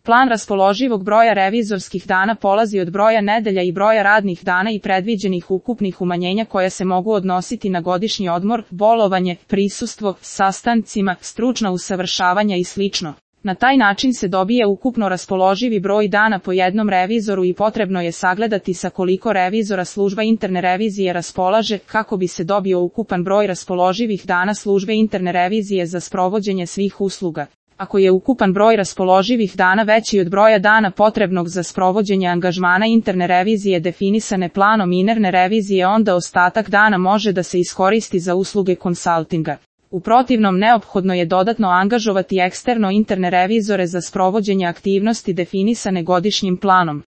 Plan raspoloživog broja revizorskih dana polazi od broja nedelja i broja radnih dana i predviđenih ukupnih umanjenja koja se mogu odnositi na godišnji odmor, bolovanje, prisustvo, sastancima, stručna usavršavanja i sl. Na taj način se dobije ukupno raspoloživi broj dana po jednom revizoru i potrebno je sagledati sa koliko revizora služba interne revizije raspolaže kako bi se dobio ukupan broj raspoloživih dana službe interne revizije za sprovođenje svih usluga. Ako je ukupan broj raspoloživih dana veći od broja dana potrebnog za sprovođenje angažmana interne revizije definisane planom interne revizije, onda ostatak dana može da se iskoristi za usluge konsaltinga. U protivnom neophodno je dodatno angažovati eksterno interne revizore za sprovođenje aktivnosti definisane godišnjim planom.